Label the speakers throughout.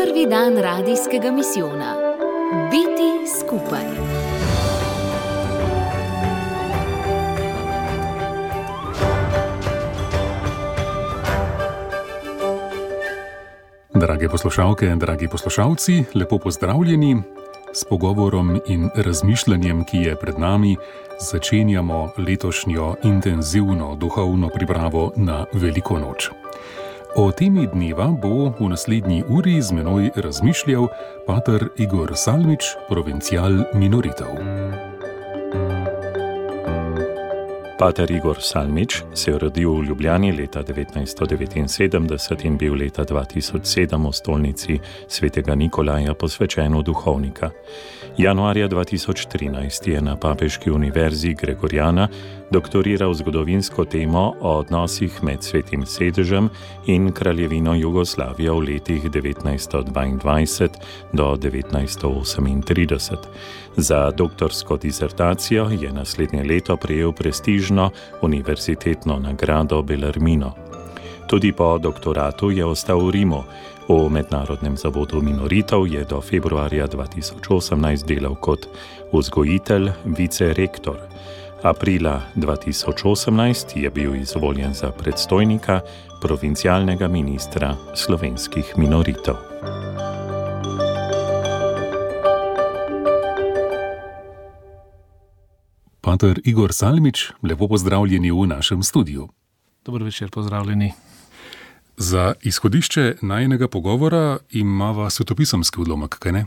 Speaker 1: Prvi dan radijskega misijona. Biti skupaj.
Speaker 2: Drage poslušalke, dragi poslušalci, lepo pozdravljeni. S pogovorom in razmišljanjem, ki je pred nami, začenjamo letošnjo intenzivno duhovno pripravo na Veliko noč. O temi dneva bo v naslednji uri z menoj razmišljal pater Igor Salmič, provincial minoritev.
Speaker 3: Pater Igor Salmič se je rodil v Ljubljani leta 1979 in bil leta 2007 v stolnici svetega Nikolaja posvečen v duhovnika. Januarja 2013 je na Papeški univerzi Gregoriana doktoriral zgodovinsko temo o odnosih med Svetim sedežem in Kraljevino Jugoslavijo v letih 1922 do 1938. Za doktorsko disertacijo je naslednje leto prejel prestižno univerzitetno nagrado Bellarmino. Tudi po doktoratu je ostal v Rimu. V Mednarodnem zavodu minoritev je do februarja 2018 delal kot vzgojitelj, vicerektor. Aprila 2018 je bil izvoljen za predstojnika provincialnega ministra slovenskih minoritev.
Speaker 2: Pater Igor Salmič, lepo pozdravljeni v našem studiu.
Speaker 4: Dober večer, pozdravljeni.
Speaker 2: Za izhodišče najinega pogovora imava svetopisemski odlomek, kaj ne?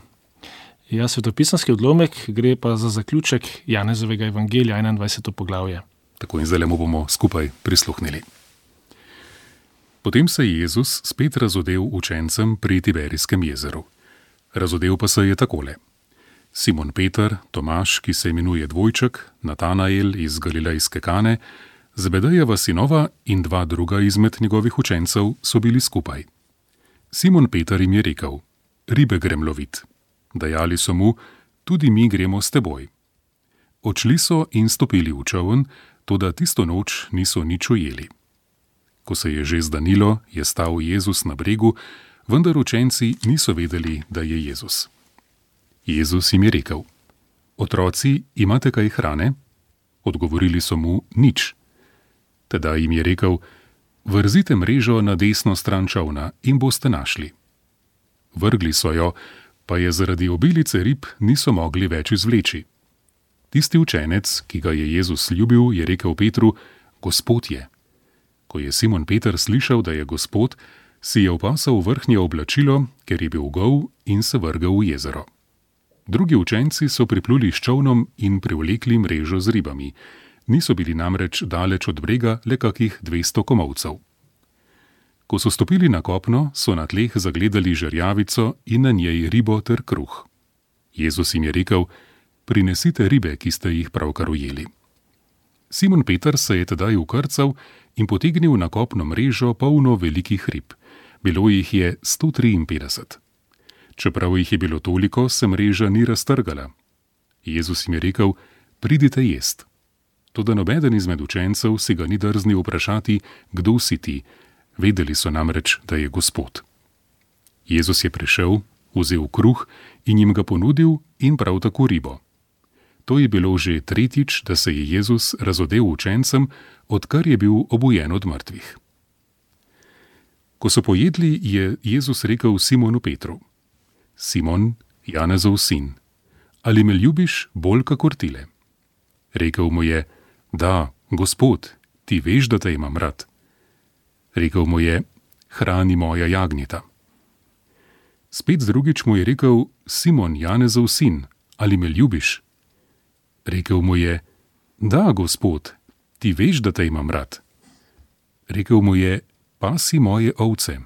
Speaker 4: Ja, svetopisemski odlomek gre pa za zaključek Janezovega evangelija, 21. poglavje.
Speaker 2: Tako in zdaj mu bomo skupaj prisluhnili. Potem se je Jezus spet razodel učencem pri Tiberijskem jezeru. Razodel pa se je takole. Simon Peter, Tomaž, ki se imenuje Dvojček, Natanael iz Galilejske Kane, Zebedejeva sinova in dva druga izmed njegovih učencev so bili skupaj. Simon Peter jim je rekel, ribe grem lovit. Dajali so mu, tudi mi gremo s teboj. Odšli so in stopili v čoln, toda tisto noč niso nič ujeli. Ko se je že zdanilo, je stal Jezus na bregu, vendar učenci niso vedeli, da je Jezus. Jezus jim je rekel, otroci, imate kaj hrane? Odgovorili so mu, nič. Teda jim je rekel, vrzite mrežo na desno stran čolna in boste našli. Vrgli so jo, pa je zaradi obilice rib niso mogli več izvleči. Tisti učenec, ki ga je Jezus ljubil, je rekel Petru, Gospod je. Ko je Simon Peter slišal, da je Gospod, si je opasal vrhnje oblačilo, ker je bil gol in se vrgel v jezero. Drugi učenci so pripluli s čolnom in privlekli mrežo z ribami. Niso bili namreč daleč od brega le kakih 200 komolcev. Ko so stopili na kopno, so na tleh zagledali žerjavico in na njej ribo ter kruh. Jezus jim je rekel, prinesite ribe, ki ste jih pravkar ujeli. Simon Peter se je tedaj ukrcal in potegnil na kopno mrežo polno velikih rib. Bilo jih je 153. Čeprav jih je bilo toliko, se mreža ni raztrgala. Jezus jim je rekel, pridite jest. Toda nobeden izmed učencev si ga ni drznil vprašati, kdo si ti. Vedeli so namreč, da je Gospod. Jezus je prišel, vzel kruh in jim ga ponudil in prav tako ribo. To je bilo že tretjič, da se je Jezus razodel učencem, odkar je bil obujen od mrtvih. Ko so pojedli, je Jezus rekel Simonu Petru, Simon, Janezov sin, ali me ljubiš bolj kakor tile? Rekel mu je, da, Gospod, ti veš, da te imam rad. Rekel mu je, hrani moja jagnjeta. Spet drugič mu je rekel, Simon, Janezov sin, ali me ljubiš? Rekel mu je, da, Gospod, ti veš, da te imam rad. Rekel mu je, pasi moje ovce.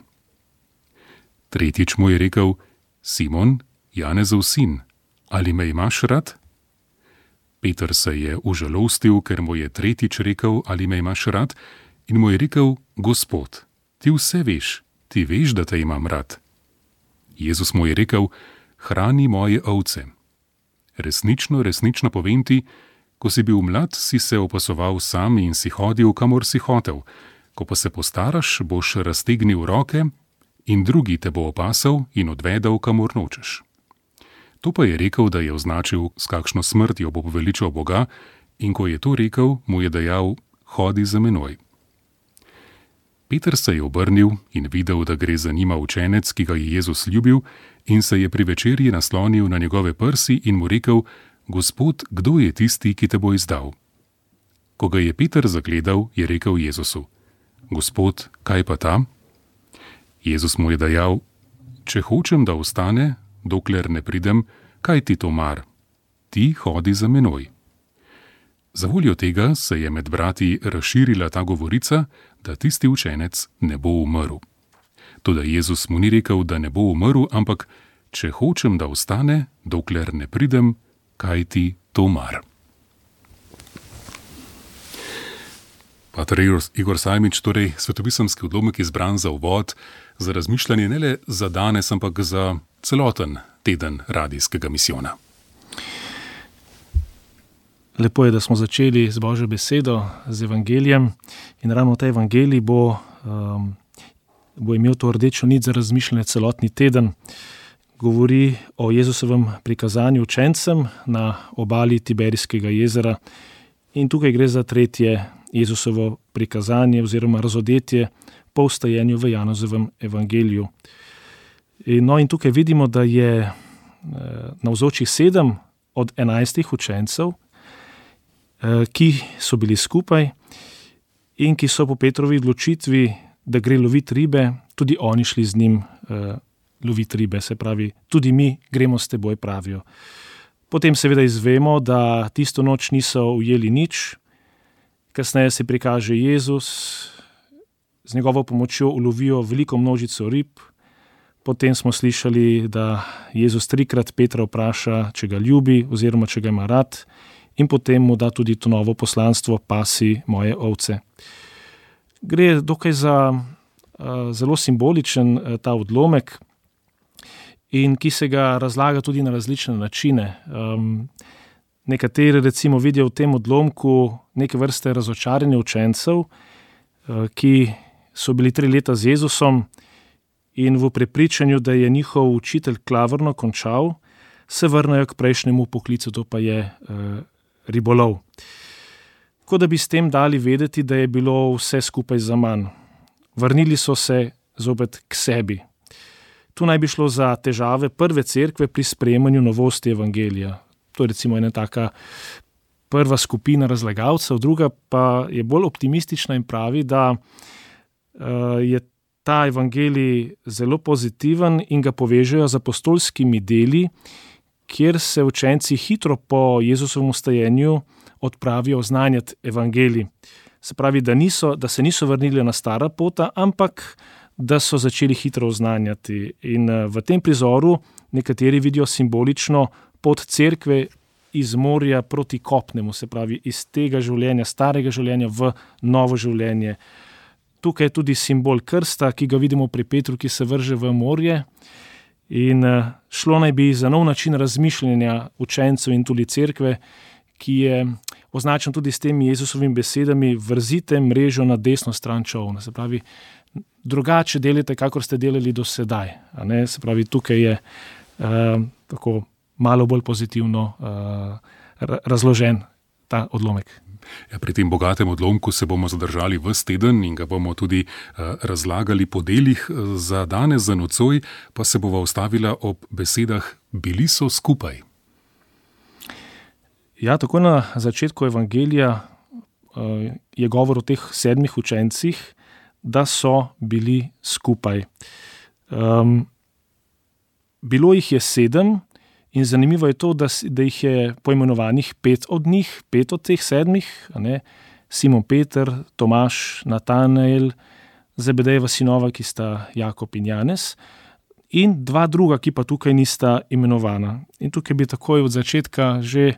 Speaker 2: Tretjič mu je rekel, Simon, Janezov sin, ali me imaš rad? Peter se je užalostil, ker mu je tretjič rekel, ali me imaš rad, in mu je rekel, Gospod, ti vse veš, ti veš, da te imam rad. Jezus mu je rekel, hrani moje ovce. Resnično, resnično povem ti, ko si bil mlad, si se opasoval sam in si hodil, kamor si hotel. Ko pa se postaraš, boš raztegnil roke in drugi te bo opasal in odvedel, kamor nočeš. To pa je rekel, da je označil, s kakšno smrtjo bo poveličal Boga, in ko je to rekel, mu je dejal: hodi za menoj. Peter se je obrnil in videl, da gre za njima učenec, ki ga je Jezus ljubil, in se je pri večerji naslonil na njegove prsi in mu rekel: Gospod, kdo je tisti, ki te bo izdal? Ko ga je Peter zagledal, je rekel Jezusu: Gospod, kaj pa ta? Jezus mu je dejal: če hočem, da ostane, dokler ne pridem, kaj ti to mar? Ti hodi za menoj. Zavoljo tega se je med brati razširila ta govorica, da tisti učenec ne bo umrl. Toda Jezus mu ni rekel, da ne bo umrl, ampak če hočem, da ostane, dokler ne pridem, kaj ti to mar? Pater Igor Salmič, torej svetopisemski odlomek izbran za uvod, za razmišljanje ne le za danes, ampak za celoten teden radijskega misijona.
Speaker 4: Lepo je, da smo začeli z Božjo besedo, z evangelijem, in ravno ta evangelij bo imel to rdečo nit za razmišljanje celotni teden. Govori o Jezusovem prikazanju učencem na obali Tiberijskega jezera, in tukaj gre za tretje Jezusovo prikazanje oziroma razodetje po vstajenju v Janezovem evangeliju. In tukaj vidimo, da je navzočih 7 od 11 učencev, ki so bili skupaj in ki so po Petrovi odločitvi, da gre loviti ribe, tudi oni šli z njim loviti ribe, se pravi, tudi mi gremo s teboj, pravijo. Potem seveda izvemo, da tisto noč niso ujeli nič, kasneje se prikaže Jezus, z njegovo pomočjo ulovijo veliko množico rib, potem smo slišali, da Jezus 3-krat Petra vpraša, če ga ljubi oziroma če ga ima rad, in potem mu da tudi to novo poslanstvo: pasi moje ovce. Gre dokaj za zelo simboličen ta odlomek, in ki se ga razlaga tudi na različne načine. Nekateri recimo vidijo v tem odlomku neke vrste razočaranje učencev, ki so bili 3 leta z Jezusom in v prepričanju, da je njihov učitelj klavrno končal, se vrnejo k prejšnjemu poklicu, to pa je ribolov. Kot da bi s tem dali vedeti, da je bilo vse skupaj zaman. Vrnili so se zopet k sebi. Tu naj bi šlo za težave prve cerkve pri sprejemanju novosti evangelija. To je recimo ena taka prva skupina razlagalcev, druga pa je bolj optimistična in pravi, da je ta evangelij zelo pozitiven in ga povežejo z apostolskimi deli, kjer se učenci hitro po Jezusovem vstajenju odpravijo oznanjati evangelij. Se pravi, da se niso vrnili na stara pota, ampak da so začeli hitro oznanjati. In v tem prizoru nekateri vidijo simbolično pot cerkve iz morja proti kopnemu, se pravi iz tega življenja, starega življenja v novo življenje. Tukaj je tudi simbol krsta, ki ga vidimo pri Petru, ki se vrže v morje. In šlo naj bi za nov način razmišljanja učencev in tudi cerkve, ki je označen tudi s temi Jezusovimi besedami: vrzite mrežo na desno stran čolna. Se pravi, drugače delite, kakor ste delali do sedaj. Se pravi, tukaj je tako malo bolj pozitivno razložen ta odlomek.
Speaker 2: Ja, pri tem bogatem odlomku se bomo zadržali ves teden in ga bomo tudi razlagali po delih. Za danes, za nocoj, pa se bova ustavila ob besedah: bili so skupaj.
Speaker 4: Ja, tako na začetku evangelija je govor o teh 7 učencih, da so bili skupaj. Bilo jih je 7 in zanimivo je to, da jih je poimenovanih 5 od njih, 5 od teh 7, Simon Peter, Tomaž, Natanael, Zebedejeva sinova, ki sta Jakob in Janez, in 2 druga, ki pa tukaj nista imenovana. In tukaj bi takoj od začetka že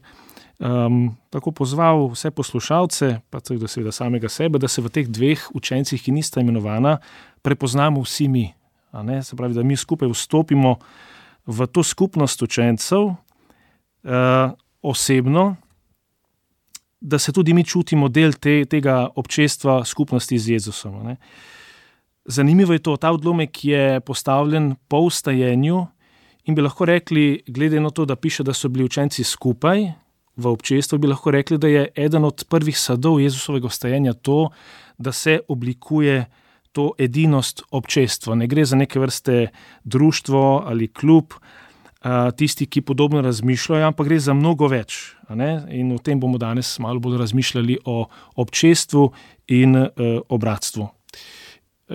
Speaker 4: tako pozval vse poslušalce, pa tudi seveda samega sebe, da se v teh 2 učencih, ki nista imenovana, prepoznamo vsi mi. Se pravi, da mi skupaj vstopimo v to skupnost učencev osebno, da se tudi mi čutimo del tega občestva skupnosti z Jezusom. Zanimivo je to, ta odlomek je postavljen po vstajenju in bi lahko rekli, glede na to, da piše, da so bili učenci skupaj v občestvu, bi lahko rekli, da je eden od prvih sadov Jezusovega vstajenja to, da se oblikuje to edinost občestva. Ne gre za neke vrste društvo ali klub, tisti, ki podobno razmišljajo, ampak gre za mnogo več. In o tem bomo danes malo bolj razmišljali o občestvu in o bratstvu.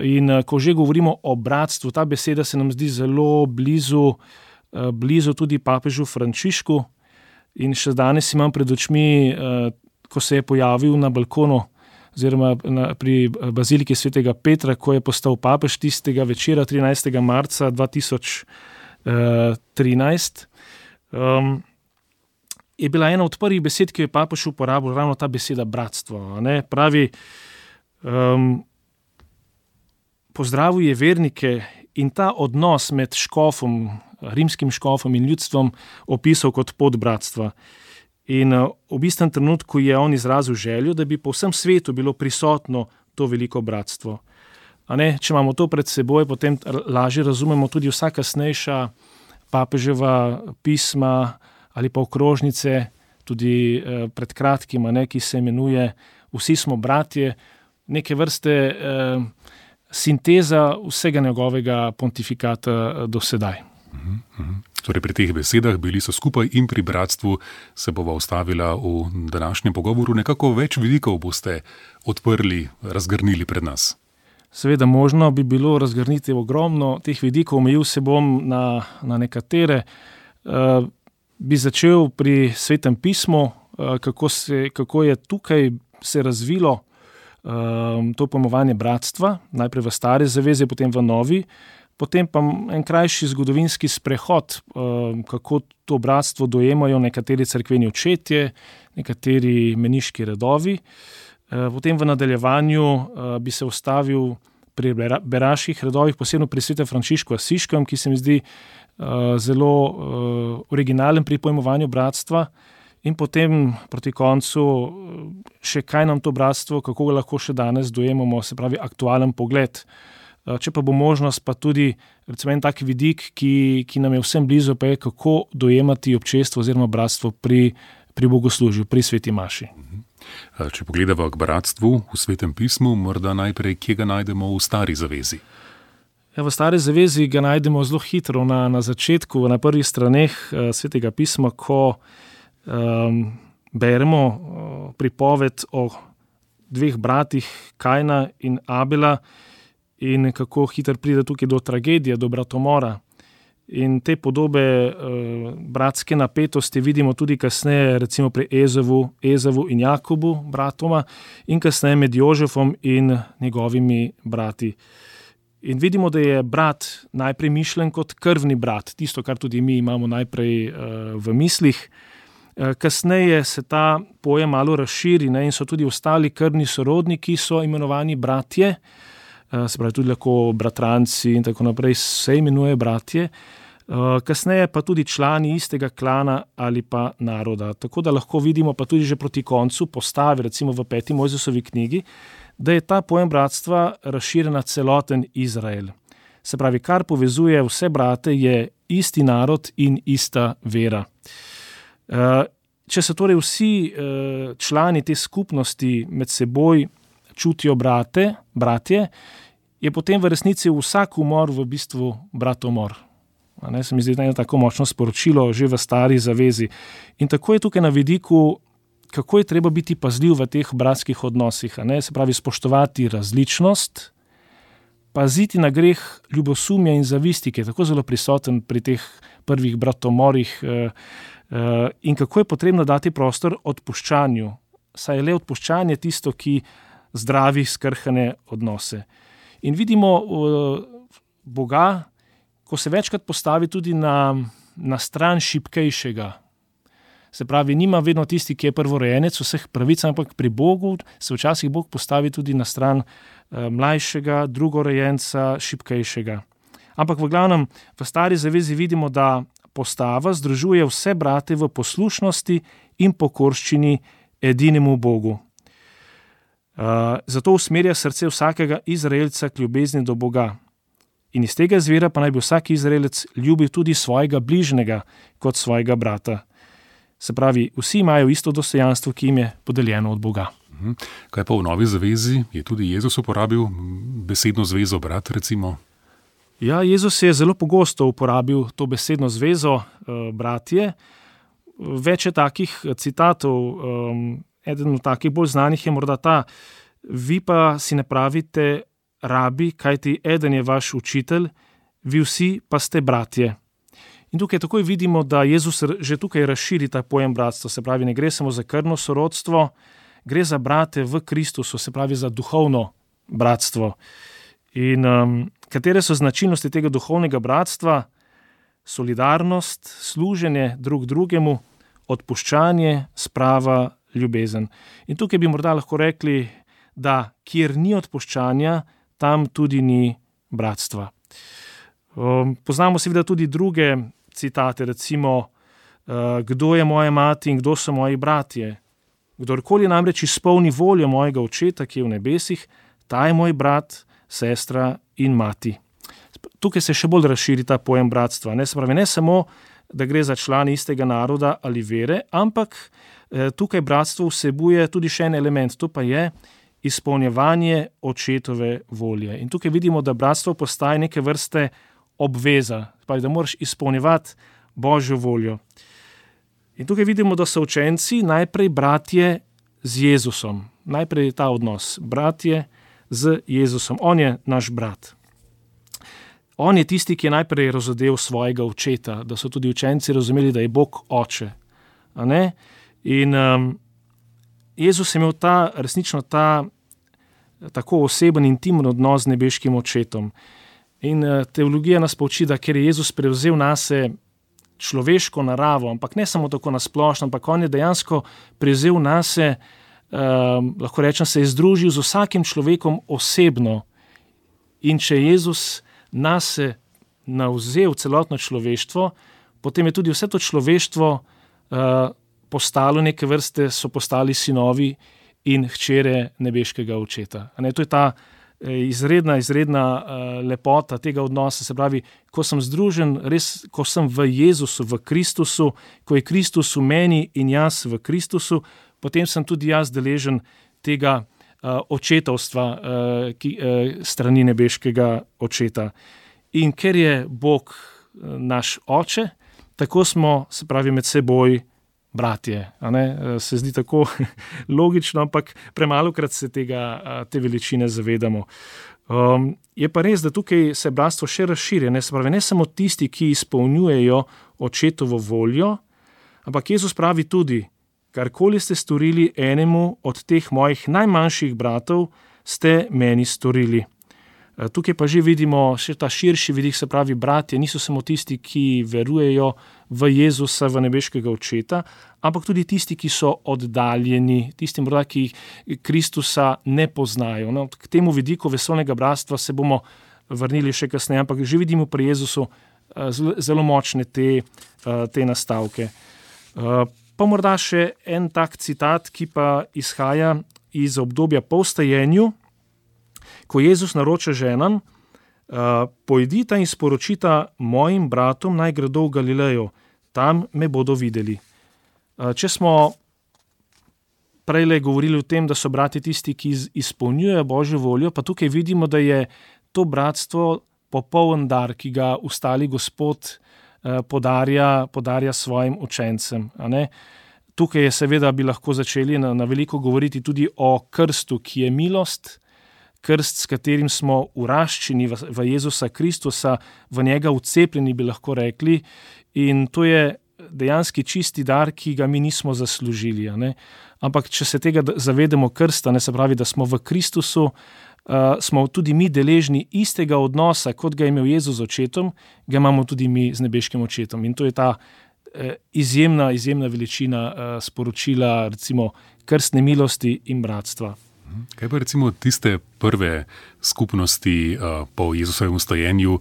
Speaker 4: In ko že govorimo o bratstvu, ta beseda se nam zdi zelo blizu tudi papežu Frančišku. In še danes imam pred očmi, ko se je pojavil na balkonu oziroma pri baziliki svetega Petra, ko je postal papež tistega večera 13. marca 2013, je bila ena od prvih besed, ki jo je papež uporabil, ravno ta beseda bratstvo. Pravi, pozdravil je vernike in ta odnos med škofom, rimskim škofom in ljudstvom opisal kot pot bratstva. In v istem trenutku je on izrazil željo, da bi po vsem svetu bilo prisotno to veliko bratstvo. Če imamo to pred seboj, potem lažje razumemo tudi vsa kasnejša papeževa pisma ali pa okrožnice, tudi pred kratkim, ki se imenuje Vsi smo bratje, neke vrste sinteza vsega njegovega pontifikata do sedaj.
Speaker 2: Torej pri teh besedah bili so skupaj in pri bratstvu se bova ustavila v današnjem pogovoru. Nekako več vidikov boste odprli, razgrnili pred nas.
Speaker 4: Seveda možno bi bilo razgrniti ogromno teh vidikov, omejil se bom na nekatere. Bi začel pri Svetem pismu, kako je tukaj se razvilo to pojmovanje bratstva, najprej v Stari zavezi, potem v Novi, potem pa en krajši zgodovinski sprehod, kako to bratstvo dojemajo nekateri cerkveni očetje, nekateri meniški redovi. Potem v nadaljevanju bi se ustavil pri beraških redovih, posebno pri svetem Frančišku Asiškem, ki se mi zdi zelo originalen pri pojmovanju bratstva. In potem proti koncu še kaj nam to bratstvo, kako ga lahko še danes dojemamo, se pravi aktualen pogled. Če pa bo možnost, pa tudi recimo en tak vidik, ki nam je vsem blizu, pa je kako dojemati občestvo oziroma bratstvo pri bogoslužju, pri sveti maši.
Speaker 2: Če pogledamo k bratstvu v Svetem pismu, morda najprej, kje ga najdemo v Stari zavezi?
Speaker 4: V Stari zavezi ga najdemo zelo hitro na začetku, na prvih straneh Svetega pisma, ko beremo pripoved o dveh bratih, Kajna in Abela, in kako hitro pride tukaj do tragedije, do bratomora. In te podobe bratske napetosti vidimo tudi kasneje, recimo pri Ezavu in Jakobu, bratoma, in kasneje med Jožefom in njegovimi brati. In vidimo, da je brat najprej mišljen kot krvni brat, tisto, kar tudi mi imamo najprej v mislih. Kasneje se ta pojem malo razširi, in so tudi ostali krvni sorodniki, so imenovani bratje, se pravi tudi lahko bratranci in tako naprej, se imenuje bratje. Kasneje pa tudi člani istega klana ali pa naroda. Tako da lahko vidimo pa tudi že proti koncu postave, recimo v 5. Mojzesovi knjigi, da je ta pojem bratstva razširjen na celoten Izrael. Se pravi, kar povezuje vse brate, je isti narod in ista vera. Če se torej vsi člani te skupnosti med seboj čutijo bratje, je potem v resnici vsak umor v bistvu bratomor. Se mi zdi eno tako močno sporočilo že v Stari zavezi. In tako je tukaj na vidiku, kako je treba biti pazljiv v teh bratskih odnosih. Se pravi, spoštovati različnost, paziti na greh ljubosumja in zavisti, ki je tako zelo prisoten pri teh prvih bratomorih, in kako je potrebno dati prostor odpuščanju. Saj je le odpuščanje tisto, ki zdravi skrhane odnose. In vidimo Boga, ko se večkrat postavi tudi na stran šibkejšega. Se pravi, nima vedno tisti, ki je prvorojenec vseh pravic, ampak pri Bogu se včasih Bog postavi tudi na stran mlajšega, drugorojenca, šibkejšega. Ampak v glavnem v Stari zavezi vidimo, da postava združuje vse brate v poslušnosti in pokorščini edinemu Bogu. Zato usmerja srce vsakega Izraelca k ljubezni do Boga. In iz tega izvira pa naj bi vsak Izraelec ljubil tudi svojega bližnjega kot svojega brata. Se pravi, vsi imajo isto dostojanstvo, ki jim je podeljeno od Boga.
Speaker 2: Kaj pa v Novi zavezi? Je tudi Jezus uporabil besedno zvezo brat, recimo?
Speaker 4: Ja, Jezus je zelo pogosto uporabil to besedno zvezo bratje. Več je takih citatov. Eden od takih bolj znanih je morda ta: vi pa si ne pravite rabi, kajti eden je vaš učitelj, vi vsi pa ste bratje. In tukaj takoj vidimo, da Jezus že tukaj razširi ta pojem bratstva. Se pravi, ne gre samo za krvno sorodstvo, gre za brate v Kristusu, se pravi za duhovno bratstvo. In katere so značilnosti tega duhovnega bratstva? Solidarnost, služenje drug drugemu, odpuščanje, sprava, ljubezen. In tukaj bi morda lahko rekli, da kjer ni odpuščanja, tam tudi ni bratstva. Poznamo seveda tudi druge citate, recimo, kdo je moja mati in kdo so moji bratje. Kdorkoli namreč izpolni voljo mojega očeta, ki je v nebesih, ta je moj brat, sestra in mati. Tukaj se še bolj razširi ta pojem bratstva. Se pravi, ne samo, da gre za člane istega naroda ali vere, ampak tukaj bratstvo vsebuje tudi še en element, to pa je izpolnjevanje očetove volje. In tukaj vidimo, da bratstvo postaje neke vrste obveza, da moraš izpolnjevati Božjo voljo. In tukaj vidimo, da so učenci najprej bratje z Jezusom. Najprej je ta odnos, bratje z Jezusom. On je naš brat. On je tisti, ki je najprej razodel svojega očeta, da so tudi učenci razumeli, da je Bog oče. A ne? In Jezus je imel resnično tako oseben, intimen odnos z nebeškim očetom. In teologija nas pouči, da ker je Jezus prevzel nase človeško naravo, ampak ne samo tako nasplošno, ampak on je dejansko prevzel nase, lahko rečem, se je združil z vsakim človekom osebno. In če Jezus nase navzel celotno človeštvo, potem je tudi vse to človeštvo postalo neke vrste, so postali sinovi in hčere nebeškega očeta. To je ta izredna lepota tega odnosa, se pravi, ko sem združen, res, ko sem v Jezusu, v Kristusu, ko je Kristus v meni in jaz v Kristusu, potem sem tudi jaz deležen tega očetovstva strani nebeškega očeta. In ker je Bog naš oče, tako smo, se pravi, med seboj bratje. Se zdi tako logično, ampak premalokrat se te veličine zavedamo. Je pa res, da tukaj se bratstvo še razširja, se pravi, ne samo tisti, ki izpolnjujejo očetovo voljo, ampak Jezus pravi tudi: karkoli ste storili enemu od teh mojih najmanjših bratov, ste meni storili. Tukaj pa že vidimo še ta širši vidik, se pravi, bratje niso samo tisti, ki verujejo v Jezusa, v nebeškega očeta, ampak tudi tisti, ki so oddaljeni, tisti morda, ki Kristusa ne poznajo. K temu vidiku vesolnega bratstva se bomo vrnili še kasneje, ampak že vidimo pri Jezusu zelo močne te nastavke. Pa morda še en tak citat, ki pa izhaja iz obdobja po vstajenju, ko Jezus naroča ženam: pojdita in sporočita mojim bratom, naj gredo v Galilejo, tam me bodo videli. Če smo prejle govorili o tem, da so bratje tisti, ki izpolnjujejo Božjo voljo, pa tukaj vidimo, da je to bratstvo popoln dar, ki ga ustali Gospod podarja svojim učencem. Tukaj je seveda, bi lahko začeli na veliko govoriti tudi o krstu, ki je milost, krst, s katerim smo uraščeni v Jezusa Kristusa, v njega vcepljeni, bi lahko rekli, in to je dejanski čisti dar, ki ga mi nismo zaslužili. Ampak če se tega zavedamo krsta, se pravi, da smo v Kristusu, smo tudi mi deležni istega odnosa, kot ga je imel Jezus z očetom, ga imamo tudi mi z nebeškim očetom. In to je ta izjemna veličina sporočila, recimo, krstne milosti in bratstva.
Speaker 2: Kaj pa recimo tiste prve skupnosti po Jezusovem vstajenju,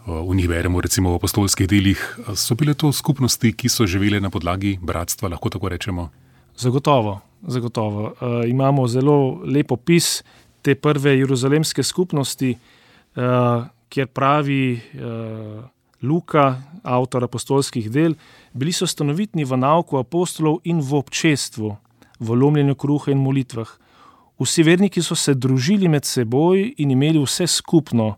Speaker 2: v njih beremo recimo v apostolskih delih, so bile to skupnosti, ki so živele na podlagi bratstva, lahko tako rečemo?
Speaker 4: Zagotovo. zagotovo. Imamo zelo lep opis te prve jeruzalemske skupnosti, kjer pravi Luka, avtor apostolskih del, bili so stanovitni v nauku apostolov in v občestvu, v lomljenju kruha in molitvah. Vsi verniki so se družili med seboj in imeli vse skupno.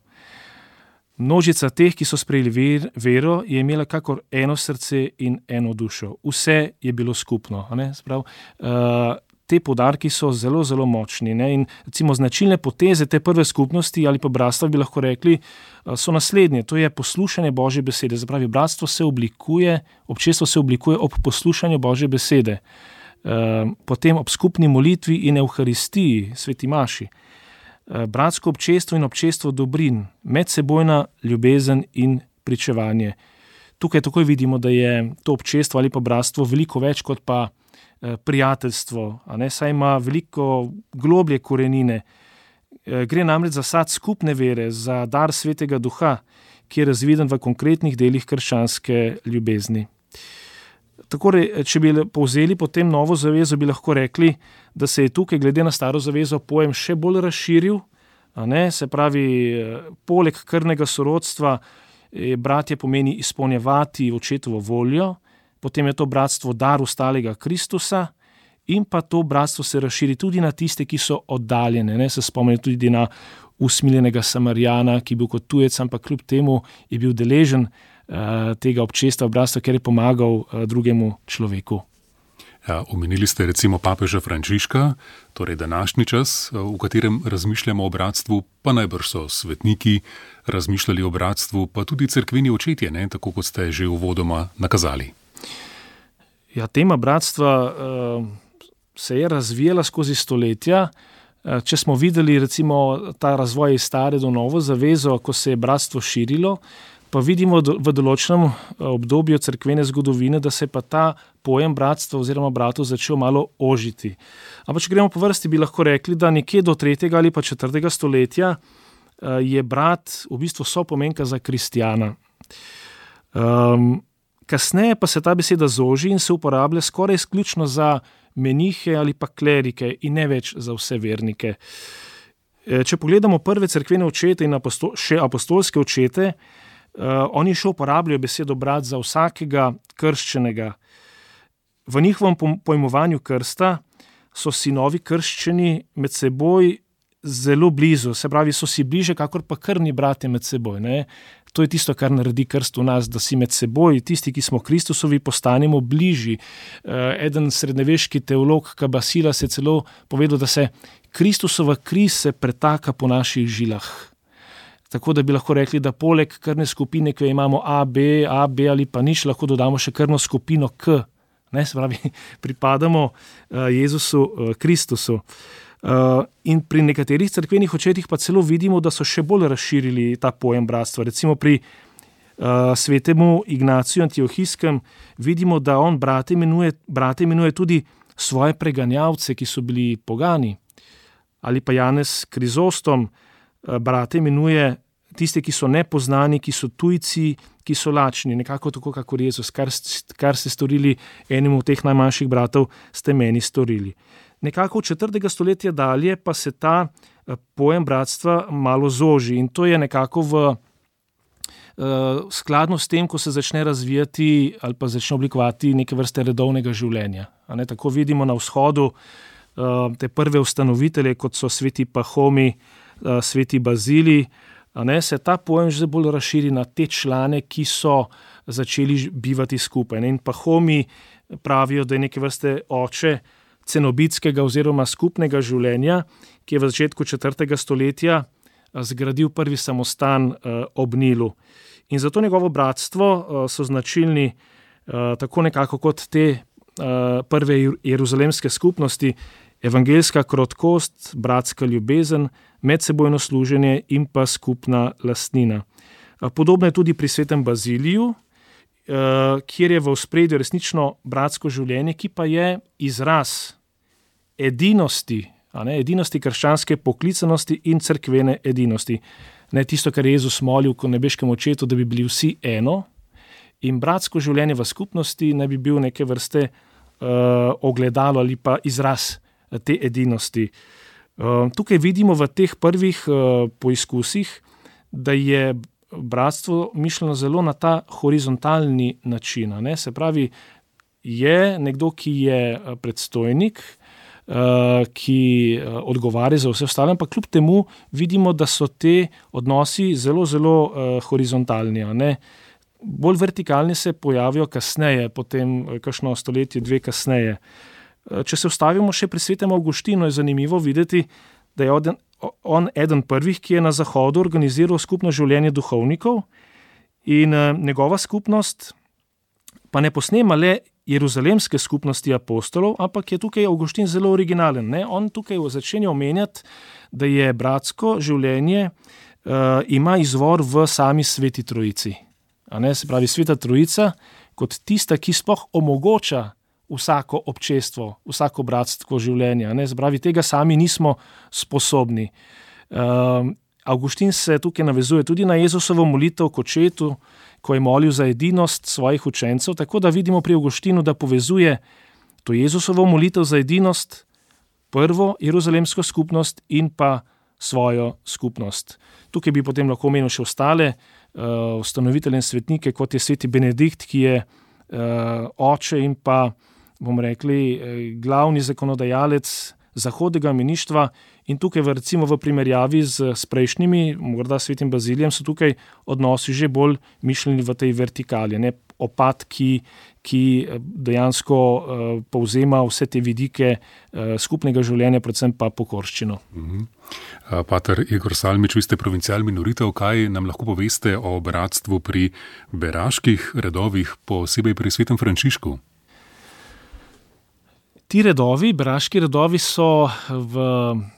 Speaker 4: Množica teh, ki so sprejeli vero, je imela kakor eno srce in eno dušo. Vse je bilo skupno. Te poudarki so zelo, zelo močni. In recimo značilne poteze te prve skupnosti ali pa bratstva bi lahko rekli, so naslednje. To je poslušanje Božje besede. Zapravi, bratstvo se oblikuje, občestvo se oblikuje ob poslušanju Božje besede. Potem ob skupni molitvi in evharistiji, sveti maši. Bratsko občestvo in občestvo dobrin, medsebojna ljubezen in pričevanje. Tukaj takoj vidimo, da je to občestvo ali pa bratstvo veliko več kot pa prijateljstvo, saj ima veliko globlje korenine. Gre namreč za sad skupne vere, za dar Svetega Duha, ki je razviden v konkretnih delih krščanske ljubezni. Tako, če bi povzeli potem novo zavezo, bi lahko rekli, da se je tukaj glede na staro zavezo pojem še bolj razširil. Se pravi, poleg krvnega sorodstva bratje pomeni izpolnjevati očetovo voljo, potem je to bratstvo dar ostalega Kristusa in pa to bratstvo se razširi tudi na tiste, ki so oddaljene. Se spomnim tudi na usmiljenega Samarijana, ki je bil kot tujec, ampak kljub temu je bil deležen tega občestva bratstva, ker je pomagal drugemu človeku.
Speaker 2: Omenili ste recimo papeža Frančiška, torej današnji čas, v katerem razmišljamo o bratstvu, pa najbrž so svetniki razmišljali o bratstvu, pa tudi cerkveni očetje, tako kot ste že uvodoma nakazali.
Speaker 4: Tema bratstva se je razvijala skozi stoletja. Če smo videli recimo ta razvoj iz stare do novo zavezo, ko se je bratstvo širilo, pa vidimo v določenem obdobju cerkvene zgodovine, da se pa ta pojem bratstva oziroma bratov začel malo ožiti. Ampak če gremo po vrsti, bi lahko rekli, da nekje do 3. ali pa 4. stoletja je brat v bistvu sopomenka za kristjana. Kasneje pa se ta beseda zoži in se uporablja skoraj izključno za menihe ali pa klerike in ne več za vse vernike. Če pogledamo prve cerkvene očete in še apostolske očete, oni še uporabljajo besedo brat za vsakega krščenega. V njihovem pojmovanju krsta so sinovi krščeni med seboj zelo blizu, se pravi, so si bliže, kakor pa krvni bratje med seboj. To je tisto, kar naredi krst v nas, da si med seboj, tisti, ki smo Kristusovi, postanemo bližji. Eden srednjeveški teolog Kabasilas je celo povedal, da se Kristusova kri se pretaka po naših žilah. Tako da bi lahko rekli, da poleg krvne skupine, ki jo imamo AB ali pa nič, lahko dodamo še krvno skupino K. Se pravi, pripadamo Jezusu Kristusu. In pri nekaterih cerkvenih očetih pa celo vidimo, da so še bolj razširili ta pojem bratstva. Recimo pri svetemu Ignaciju Antiohijskem vidimo, da on brate imenuje tudi svoje preganjavce, ki so bili pogani. Ali pa Janez Krizostom brate imenuje tiste, ki so nepoznani, ki so tujci, ki so lačni, nekako tako, kakor Jezus, kar ste storili enemu od teh najmanjših bratov, ste meni storili. Nekako od 4. stoletja dalje pa se ta pojem bratstva malo zoži in to je nekako v skladno s tem, ko se začne razvijati ali pa začne oblikovati neke vrste redovnega življenja. Tako vidimo na vzhodu te prve ustanovitelje, kot so sveti Pahomi, sveti Bazili, se ta pojem že bolj razširi na te člane, ki so začeli bivati skupaj. In Pahomi pravijo, da je neke vrste oče cenobitskega oziroma skupnega življenja, ki je v začetku 4. stoletja zgradil prvi samostan ob Nilu. In zato njegovo bratstvo so značilni tako nekako kot te prve jeruzalemske skupnosti, evangeljska krotkost, bratska ljubezen, medsebojno služenje in pa skupna lastnina. Podobno je tudi pri svetem Baziliju, kjer je v ospredju resnično bratsko življenje, ki pa je izraz edinosti, edinosti krščanske poklicanosti in cerkvene edinosti. Tisto, kar je Jezus molil ko nebeškemu očetu, da bi bili vsi eno, in bratsko življenje v skupnosti naj bi bil neke vrste ogledalo ali pa izraz te edinosti. Tukaj vidimo v teh prvih poizkusih, da je bratstvo mišljeno zelo na ta horizontalni način. Se pravi, je nekdo, ki je predstojnik, ki odgovarja za vse ostale, ampak kljub temu vidimo, da so te odnosi zelo, zelo horizontalni. Bolj vertikalni se pojavijo kasneje, potem kakšno stoletje, 2 kasneje. Če se ustavimo še pri svetem Avguštinu, je zanimivo videti, da je on eden prvih, ki je na Zahodu organiziral skupno življenje duhovnikov in njegova skupnost pa ne posnema le jeruzalemske skupnosti apostolov, ampak je tukaj Avguštin zelo originalen. On tukaj začenja omenjati, da je bratsko življenje ima izvor v sami Sveti Trojici. Se pravi, Sveta Trojica kot tista, ki sploh omogoča vsako občestvo, vsako bratsko življenje. Se pravi, tega sami nismo sposobni. Avguštin se tukaj navezuje tudi na Jezusovo molitev k očetu, ko je molil za edinost svojih učencev, tako da vidimo pri Avguštinu, da povezuje to Jezusovo molitev za edinost, prvo jeruzalemsko skupnost in pa svojo skupnost. Tukaj bi potem lahko omenil še ostale ustanovitelje in svetnike, kot je sveti Benedikt, ki je oče in pa, bomo rekli, glavni zakonodajalec zahodnega meništva in tukaj recimo v primerjavi s prejšnjimi, morda svetim Bazilijem, so tukaj odnosi že bolj mišljeni v tej vertikali. Opat, ki dejansko povzema vse te vidike skupnega življenja, predvsem pa pokorščino.
Speaker 2: Pater Igor Salmič, vi ste provincial minoritev, kaj nam lahko poveste o bratstvu pri beraških redovih, posebej pri svetem Frančišku?
Speaker 4: Ti redovi, beraški redovi so v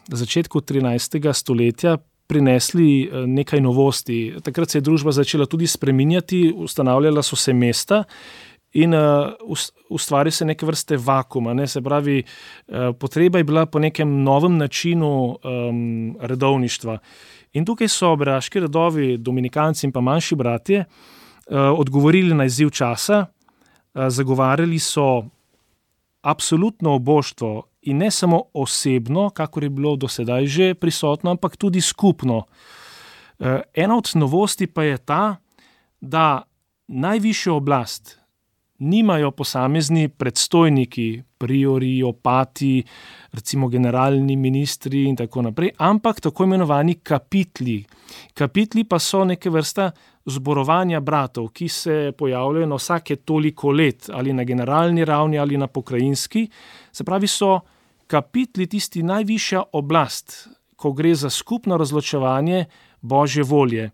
Speaker 4: začetku 13. stoletja prinesli nekaj novosti. Takrat se je družba začela tudi spreminjati, ustanavljala so se mesta in ustvari se neke vrste vakuum. Se pravi, potreba je bila po nekem novem načinu redovništva. In tukaj so beraški redovi, dominikanci in pa manjši bratje, odgovorili na izziv časa, zagovarjali so absolutno oboštvo in ne samo osebno, kakor je bilo do sedaj že prisotno, ampak tudi skupno. Ena od novosti pa je ta, da najvišjo oblast nimajo posamezni predstojniki, priori, opati, recimo generalni ministri in tako naprej, ampak tako imenovani kapitli. Kapitli pa so neke vrsta zborovanja bratov, ki se pojavljajo na vsake toliko let, ali na generalni ravni, ali na pokrajinski. Se pravi, so kapitli tisti najvišja oblast, ko gre za skupno razločevanje Božje volje.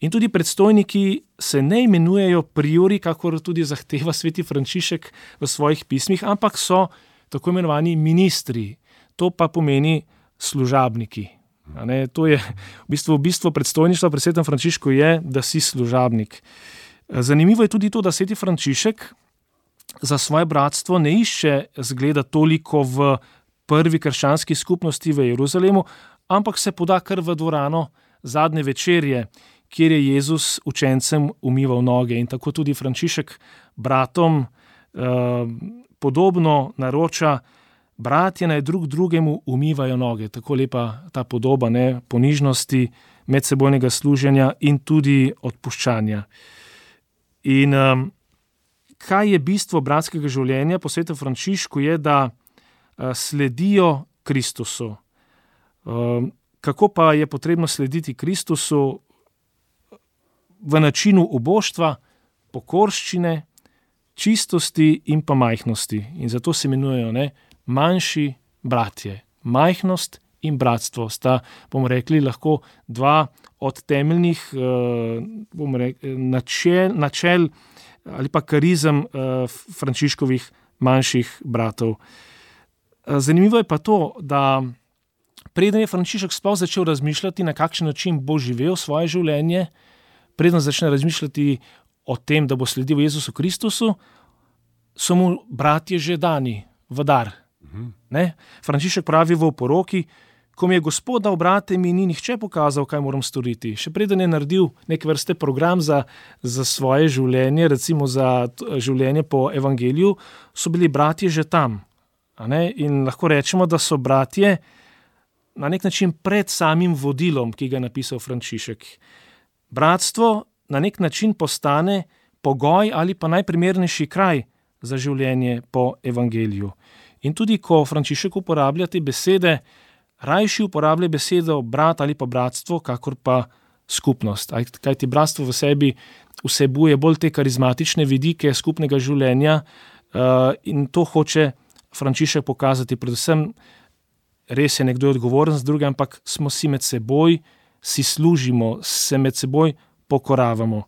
Speaker 4: In tudi predstojniki se ne imenujejo priori, kakor tudi zahteva sveti Frančišek v svojih pismih, ampak so tako imenovani ministri. To pa pomeni služabniki. To je v bistvu predstojništva pri svetem Frančišku je, da si služabnik. Zanimivo je tudi to, da sveti Frančišek za svoje bratstvo ne išče zgleda toliko v prvi krščanski skupnosti v Jeruzalemu, ampak se poda kar v dvorano zadnje večerje, kjer je Jezus učencem umival noge. In tako tudi Frančišek bratom podobno naroča, bratje naj drug drugemu umivajo noge. Tako lepa ta podoba ponižnosti, medsebojnega služenja in tudi odpuščanja. In kaj je bistvo bratskega življenja po svetem Frančišku je, da sledijo Kristusu. Kako pa je potrebno slediti Kristusu? V načinu oboštva, pokorščine, čistosti in pa majhnosti. In zato se imenujejo manjši bratje. Majhnost in bratstvo sta, bomo rekli, lahko dva od temeljnih načel ali pa karizem Frančiškovih manjših bratov. Zanimivo je pa to, da preden je Frančišek sploh začel razmišljati, na kakšen način bo živel svoje življenje, preden začne razmišljati o tem, da bo sledil Jezusu Kristusu, so mu bratje že dani v dar. Frančišek pravi v oporoki, Ko mi je Gospod dal brate, mi ni nihče pokazal, kaj moram storiti. Še preden je naredil neke vrste program za svoje življenje, recimo za življenje po evangeliju, so bili bratje že tam. In lahko rečemo, da so bratje na nek način pred samim vodilom, ki ga je napisal Frančišek. Bratstvo na nek način postane pogoj ali pa najprimernejši kraj za življenje po evangeliju. In tudi, ko Frančišek uporablja te besede, rajši uporablja besedo brat ali pa bratstvo, kakor pa skupnost. Kajti bratstvo v sebi vsebuje bolj te karizmatične vidike skupnega življenja in to hoče Frančišek pokazati. Predvsem res je nekdo odgovoren z drugim, ampak smo si med seboj, si služimo, se med seboj pokoravamo.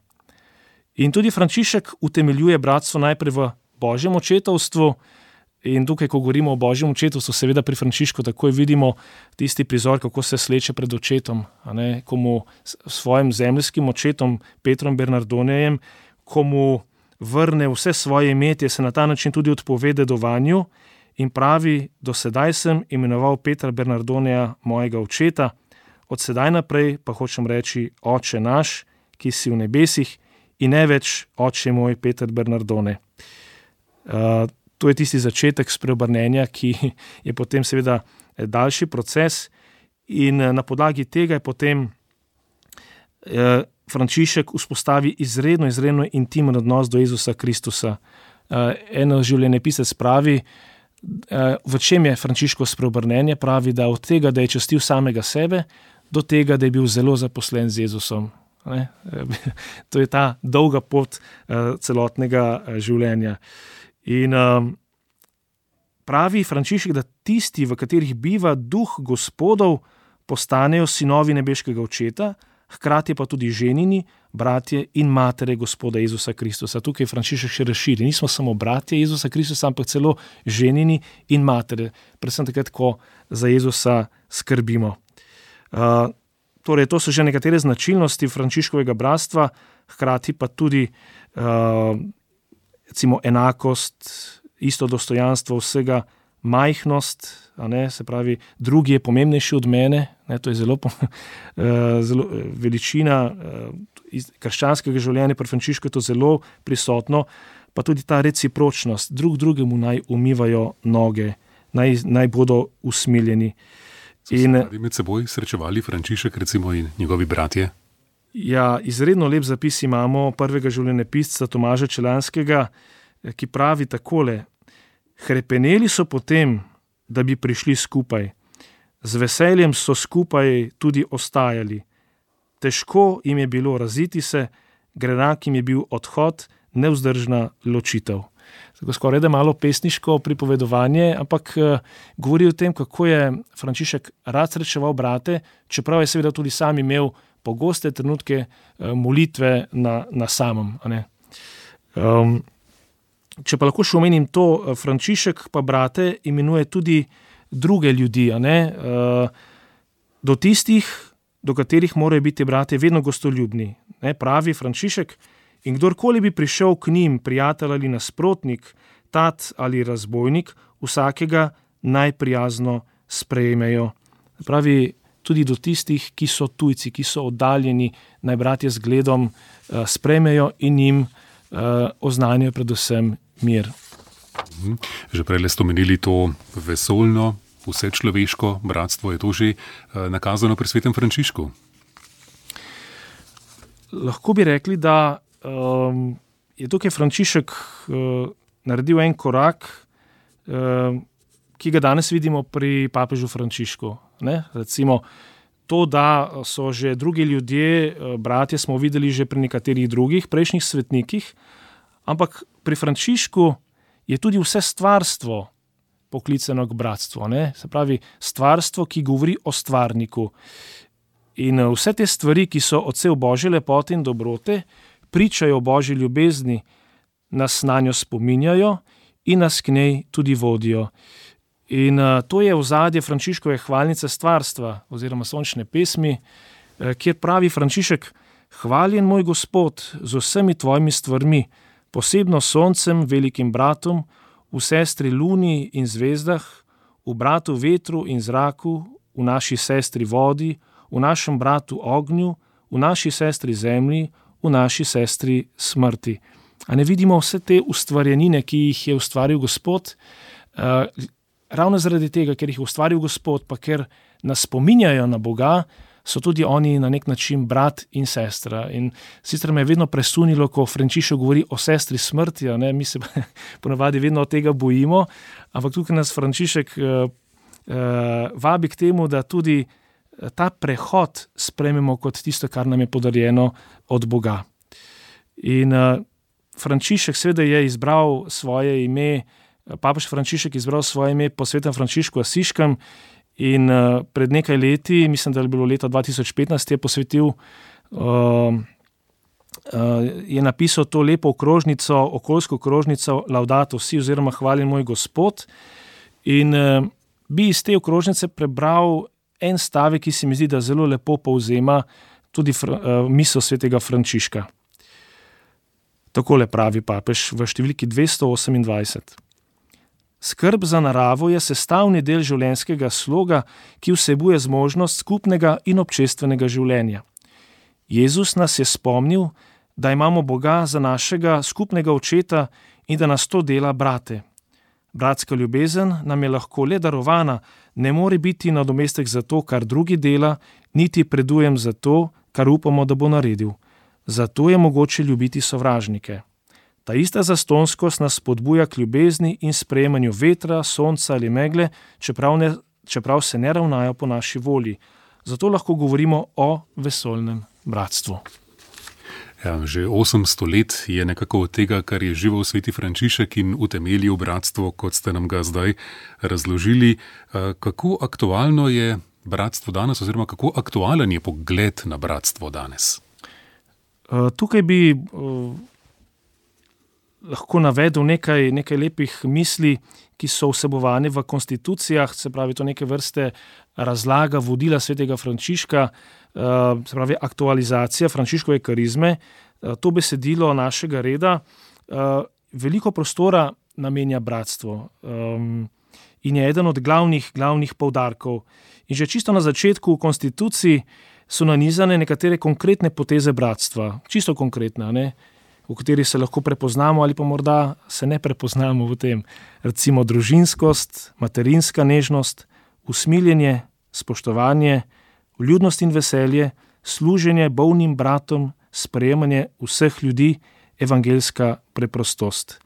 Speaker 4: In tudi Frančišek utemeljuje bratstvo najprej v Božjem očetovstvu. In tukaj, ko govorimo o Božjem očetovstvu, seveda pri Frančišku takoj vidimo tisti prizor, kako se sleče pred očetom, ko mu svojim zemljskim očetom, Petrom Bernardonejem, ko mu vrne vse svoje imetje, se na ta način tudi odpove dedovanju in pravi: do sedaj sem imenoval Petra Bernardoneja mojega očeta, od sedaj naprej pa hočem reči Oče naš, ki si v nebesih, in ne več Oče moj Peter Bernardone. To je tisti začetek spreobrnenja, ki je potem seveda daljši proces in na podlagi tega je potem Frančišek vzpostavi izredno intimen odnos do Jezusa Kristusa. En življenjepisec pravi, v čem je Frančiškovo spreobrnenje, pravi, da od tega, da je častil samega sebe, do tega, da je bil zelo zaposlen z Jezusom. To je ta dolga pot celotnega življenja. In pravi Frančišek, da tisti, v katerih biva duh Gospodov, postanejo sinovi nebeškega očeta, hkrati pa tudi ženini, bratje in matere Gospoda Jezusa Kristusa. Tukaj Frančišek še razširi. Nismo samo bratje Jezusa Kristusa, ampak celo ženini in matere. Predvsem takrat, ko za Jezusa skrbimo. Torej, to so že nekatere značilnosti Frančiškovega bratstva, hkrati pa tudi recimo enakost, isto dostojanstvo vsega, majhnost, se pravi, drugi je pomembnejši od mene, to je zelo veličina krščanskega življenja, pri Frančišku je to zelo prisotno, pa tudi ta recipročnost, drug drugemu naj umivajo noge, naj bodo usmiljeni.
Speaker 2: So se radi med seboj srečevali Frančišek recimo in njegovi bratje?
Speaker 4: Ja, izredno lep zapis imamo prvega življenjepisca Tomaža Čelanskega, ki pravi takole: hrepeneli so potem, da bi prišli skupaj. Z veseljem so skupaj tudi ostajali. Težko jim je bilo raziti se, grenak jim je bil odhod, nevzdržna ločitev. Tako skoraj da malo pesniško pripovedovanje, ampak govori o tem, kako je Frančišek rad srečeval brate, čeprav je seveda tudi sam imel pogoste trenutke molitve na samem. Če pa lahko še omenim to, Frančišek pa brate imenuje tudi druge ljudi, do tistih, do katerih morajo biti brate vedno gostoljubni. Pravi Frančišek: in kdorkoli bi prišel k njim, prijatelj ali nasprotnik, tat ali razbojnik, vsakega najprijazno sprejmejo. Pravi, tudi do tistih, ki so tujci, ki so oddaljeni, naj bratje z gledom sprejmejo in jim oznanjajo predvsem mir.
Speaker 2: Že prej ste omenili to vesoljno, vsečloveško bratstvo, je to že nakazano pri svetem Frančišku?
Speaker 4: Lahko bi rekli, da je tukaj Frančišek naredil en korak, ki ga danes vidimo pri papežu Frančišku. Recimo to, da so že drugi ljudje, bratje, smo videli že pri nekaterih drugih prejšnjih svetnikih, ampak pri Frančišku je tudi vse stvarstvo poklicano k bratstvu. Se pravi, stvarstvo, ki govori o stvarniku. In vse te stvari, ki so odsev Božje lepote in dobrote, pričajo o Božji ljubezni, nas na njo spominjajo in nas k njej tudi vodijo. In to je ozadje Frančiškove hvalnice stvarstva oziroma sončne pesmi, kjer pravi Frančišek: hvaljen moj Gospod z vsemi tvojimi stvarmi, posebno soncem, velikim bratom, v sestri luni in zvezdah, v bratu vetru in zraku, v naši sestri vodi, v našem bratu ognju, v naši sestri zemlji, v naši sestri smrti. A ne vidimo vse te ustvarjenine, ki jih je ustvaril Gospod? Ravno zaradi tega, ker jih je ustvaril Gospod, pa ker nas spominjajo na Boga, so tudi oni na nek način brat in sestra. In sicer me je vedno presunilo, ko Frančišek govori o sestri smrti, mi se ponavadi vedno od tega bojimo, ampak tukaj nas Frančišek vabi k temu, da tudi ta prehod sprejmemo kot tisto, kar nam je podarjeno od Boga. In Frančišek seveda je izbral svoje ime, papež Frančišek izbral svoje ime po svetem Frančišku Asiškem in pred nekaj leti, mislim, da je bilo leta 2015, je posvetil, je napisal to lepo okrožnico, okoljsko okrožnico Laudato Si oziroma Hvaljen moj Gospod, in bi iz te okrožnice prebral en stavek, ki se mi zdi, da zelo lepo povzema tudi misel svetega Frančiška. Takole pravi papež v številki 228. Skrb za naravo je sestavni del življenjskega sloga, ki vsebuje zmožnost skupnega in občestvenega življenja. Jezus nas je spomnil, da imamo Boga za našega skupnega očeta in da nas to dela brate. Bratska ljubezen nam je lahko le darovana, ne more biti nadomestek za to, kar drugi dela, niti predujem za to, kar upamo, da bo naredil. Zato je mogoče ljubiti sovražnike. Ta ista zastonskost nas spodbuja k ljubezni in sprejemanju vetra, sonca ali megle, čeprav se ne ravnajo po naši volji. Zato lahko govorimo o vesoljnem bratstvu.
Speaker 2: Ja, že 800 let je nekako od tega, kar je živel sveti Frančišek in utemeljil bratstvo, kot ste nam ga zdaj razložili. Kako aktualno je bratstvo danes oziroma kako aktualen je pogled na bratstvo danes?
Speaker 4: Tukaj bi lahko navedel nekaj lepih misli, ki so vsebovane v konstitucijah, se pravi to neke vrste razlaga vodila svetega Frančiška, se pravi aktualizacija Frančiškove karizme. To besedilo našega reda veliko prostora namenja bratstvo in je eden od glavnih poudarkov. In že čisto na začetku v konstituciji so nanizane nekatere konkretne poteze bratstva, čisto konkretne, v kateri se lahko prepoznamo ali pa morda se ne prepoznamo v tem. Recimo družinskost, materinska nežnost, usmiljenje, spoštovanje, vljudnost in veselje, služenje bolnim bratom, sprejemanje vseh ljudi, evangeljska preprostost.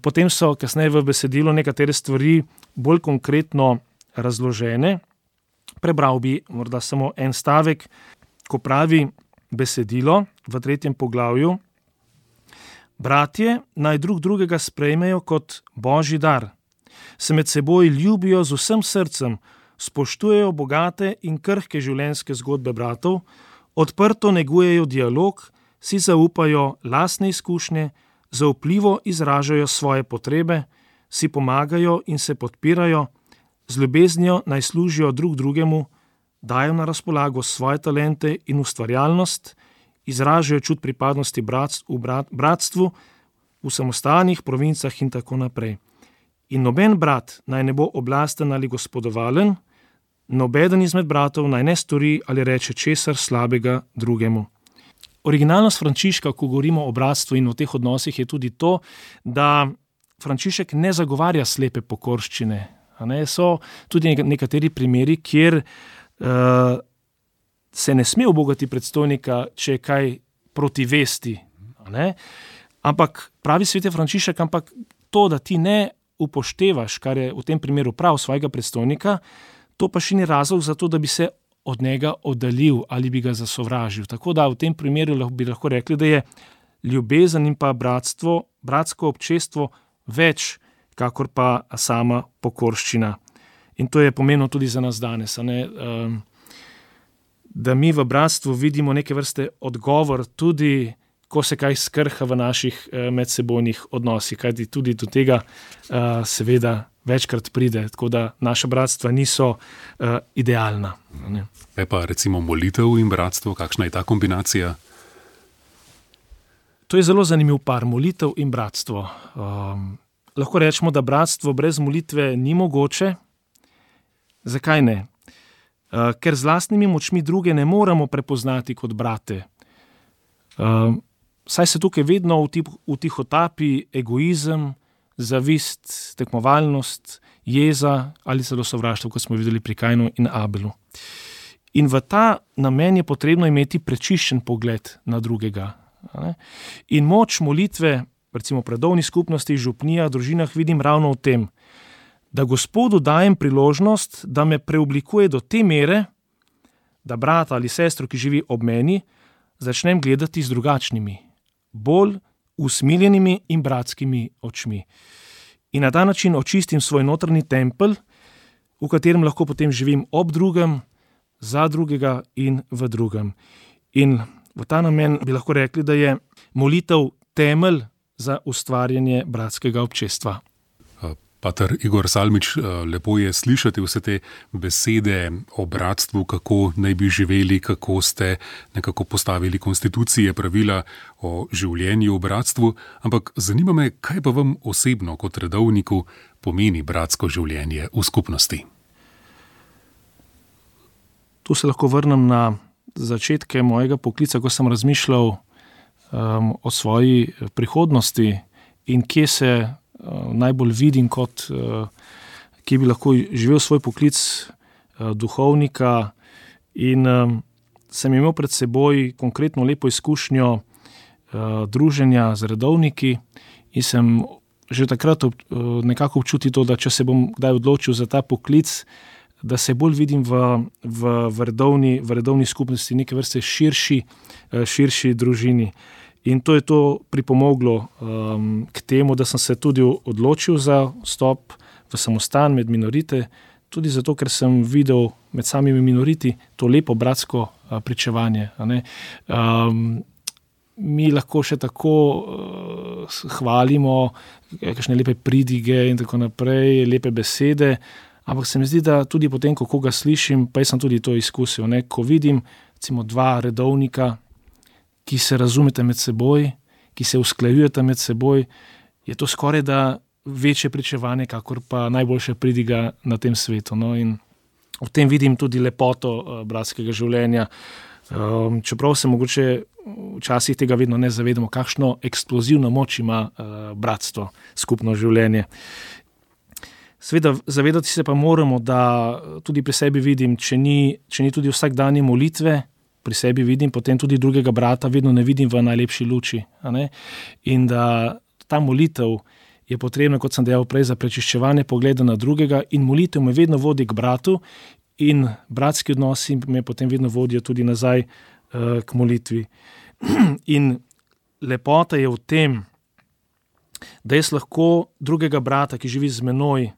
Speaker 4: Potem so kasneje v besedilu nekatere stvari bolj konkretno razložene. Prebral bi morda samo en stavek, ko pravi besedilo v 3. poglavju: Bratje naj drug drugega sprejmejo kot božji dar, se med seboj ljubijo z vsem srcem, spoštujejo bogate in krhke življenjske zgodbe bratov, odprto negujejo dialog, si zaupajo lastne izkušnje, zaupljivo izražajo svoje potrebe, si pomagajo in se podpirajo, z ljubeznijo naj služijo drug drugemu, dajo na razpolago svoje talente in ustvarjalnost, izražajo čut pripadnosti bratstvu v samostanih provincah in tako naprej. In noben brat naj ne bo oblasten ali gospodovalen, nobeden izmed bratov naj ne stori ali reče česar slabega drugemu. Originalnost Frančiška, ko govorimo o bratstvu in o teh odnosih, je tudi to, da Frančišek ne zagovarja slepe pokorščine. So tudi nekateri primeri, kjer se ne sme ubogati predstojnika, če je kaj proti vesti. Ampak pravi sveti Frančišek, ampak to, da ti ne upoštevaš, kar je v tem primeru prav svojega predstojnika, to pa še ni razlog za to, da bi se od njega oddaljil ali bi ga zasovražil. Tako da v tem primeru bi lahko rekli, da je ljubezen in pa bratsko občestvo več, kakor pa sama pokorščina. In to je pomembno tudi za nas danes, da mi v bratstvu vidimo neke vrste odgovor tudi, ko se kaj skrha v naših medsebojnih odnosih, kajti tudi do tega seveda večkrat pride, tako da naša bratstva niso idealna.
Speaker 2: Pa recimo molitev in bratstvo, kakšna je ta kombinacija?
Speaker 4: To je zelo zanimiv par, molitev in bratstvo. Lahko rečemo, da bratstvo brez molitve ni mogoče. Zakaj ne? ker z lastnimi močmi druge ne moremo prepoznati kot brate. Saj se tukaj vedno vtihotapi egoizem, zavist, tekmovalnost, jeza ali celo sovraštvo, kot smo videli pri Kainu in Abelu. In v ta namen je potrebno imeti prečiščen pogled na drugega. In moč molitve, recimo v predovni skupnosti, župnijah, družinah, vidim ravno v tem, da Gospodu dajem priložnost, da me preoblikuje do te mere, da brata ali sestro, ki živi ob meni, začnem gledati z drugačnimi, bolj usmiljenimi in bratskimi očmi. In na ta način očistim svoj notranji tempelj, v katerem lahko potem živim ob drugem, za drugega in v drugem. In v ta namen bi lahko rekli, da je molitev temelj za ustvarjanje bratskega občestva.
Speaker 2: Pater Igor Salmič, lepo je slišati vse te besede o bratstvu, kako naj bi živeli, kako ste nekako postavili konstitucije, pravila o življenju v bratstvu, ampak zanima me, kaj pa vam osebno kot redovniku pomeni bratsko življenje v skupnosti?
Speaker 4: Tu se lahko vrnem na začetke mojega poklica, ko sem razmišljal o svoji prihodnosti in kje se najbolj vidim kot, kje bi lahko živel svoj poklic duhovnika, in sem imel pred seboj konkretno lepo izkušnjo druženja z redovniki in sem že takrat nekako občutil to, da če se bom kdaj odločil za ta poklic, da se bolj vidim v redovni skupnosti, neke vrste širši družini. In to je to pripomoglo k temu, da sem se tudi odločil za vstop v samostan med minorite, tudi zato, ker sem videl med samimi minoriti to lepo bratsko pričevanje. Mi lahko še tako hvalimo kakšne lepe pridige in tako naprej, lepe besede, ampak se mi zdi, da tudi potem, ko koga slišim, pa jaz sem tudi to izkusil, ko vidim recimo dva redovnika, ki se razumete med seboj, ki se usklajujete med seboj, je to skoraj da večje pričevanje, kakor pa najboljša pridiga na tem svetu. In v tem vidim tudi lepoto bratskega življenja. Čeprav se mogoče včasih tega vedno ne zavedamo, kakšno eksplozivno moč ima bratstvo, skupno življenje. Seveda, zavedati se pa moramo, da tudi pri sebi vidim, če ni tudi vsakdanje molitve, pri sebi vidim, potem tudi drugega brata vedno ne vidim v najlepši luči. In da ta molitev je potrebna, kot sem dejal prej, za prečiščevanje pogleda na drugega, in molitev me vedno vodi k bratu in bratski odnosi me potem vedno vodijo tudi nazaj k molitvi. In lepota je v tem, da jaz lahko drugega brata, ki živi z menoj,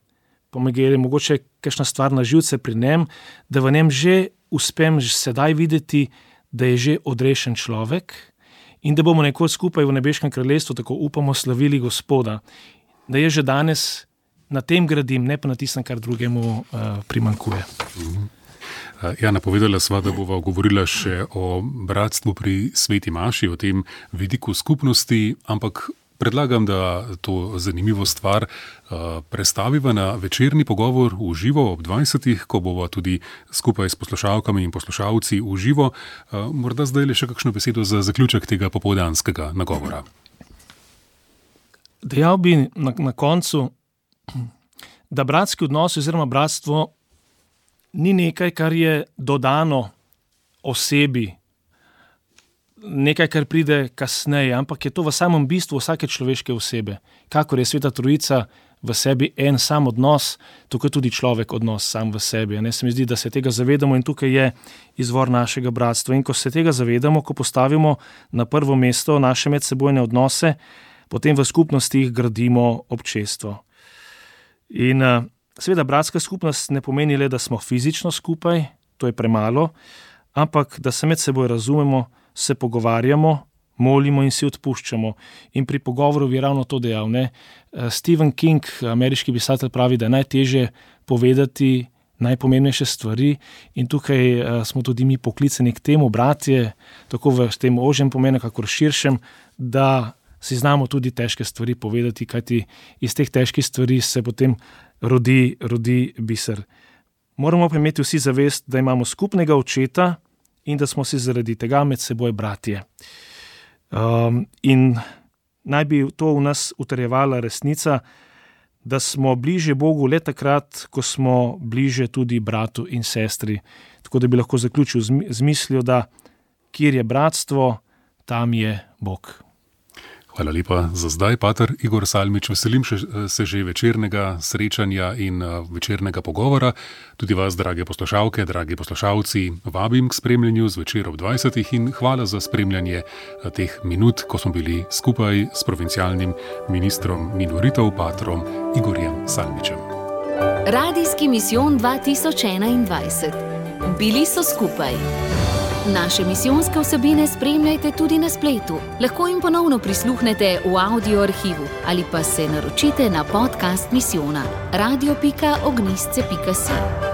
Speaker 4: pa me gre mogoče kakšna stvar na živce pri njem, da v njem že uspem sedaj videti, da je že odrešen človek in da bomo nekoč skupaj v nebeškem kraljestvu, tako upamo, slavili Gospoda. Da je že danes na tem gradim, ne pa na tistem, kar drugemu primanjkuje.
Speaker 2: Ja, napovedala sva, da bova govorila še o bratstvu pri Sveti maši, o tem vidiku skupnosti, ampak predlagam, da to zanimivo stvar prestaviva na večerni pogovor v živo ob 20, ko bova tudi skupaj s poslušalkami in poslušalci v živo. Morda zdaj le še kakšno besedo za zaključek tega popoldanskega nagovora.
Speaker 4: Dejal bi na koncu, da bratski odnos oziroma bratstvo ni nekaj, kar je dodano osebi, nekaj, kar pride kasneje, ampak je to v samem bistvu vsake človeške osebe. Kakor je Sveta Trojica v sebi en sam odnos, tako je tudi človek odnos sam v sebi. Se mi zdi, da se tega zavedamo in tukaj je izvor našega bratstva. In ko se tega zavedamo, ko postavimo na prvo mesto naše medsebojne odnose, potem v skupnostih gradimo občestvo. In seveda bratska skupnost ne pomeni le, da smo fizično skupaj, to je premalo, ampak da se med seboj razumemo, se pogovarjamo, molimo in si odpuščamo. In pri pogovoru je ravno to dejal. Stephen King, ameriški pisatelj, pravi, da je najtežje povedati najpomembnejše stvari, in tukaj smo tudi mi poklicani k temu, bratje, tako v tem ožjem pomenu, kakor širšem, da si znamo tudi težke stvari povedati, kajti iz teh težkih stvari se potem rodi biser. moramo pa imeti vsi zavest, da imamo skupnega očeta in da smo si zaradi tega med seboj bratje. In naj bi to v nas utrjevala resnica, da smo bliže Bogu le takrat, ko smo bliže tudi bratu in sestri. Tako da bi lahko zaključil z mislijo, da kjer je bratstvo, tam je Bog.
Speaker 2: Hvala lepa za zdaj, pater Igor Salmič. Veselim se že večernega srečanja in večernega pogovora. Tudi vas, drage poslušalke, dragi poslušalci, vabim k spremljanju zvečer ob 20. in hvala za spremljanje teh minut, ko smo bili skupaj s provincialnim ministrom minoritov, patrom Igorjem Salmičem.
Speaker 1: Radijski misijon 2021. Bili so skupaj. Naše misijonske vsebine spremljajte tudi na spletu. Lahko jim ponovno prisluhnete v audio arhivu ali pa se naročite na podcast misijona radio.ognistce.si.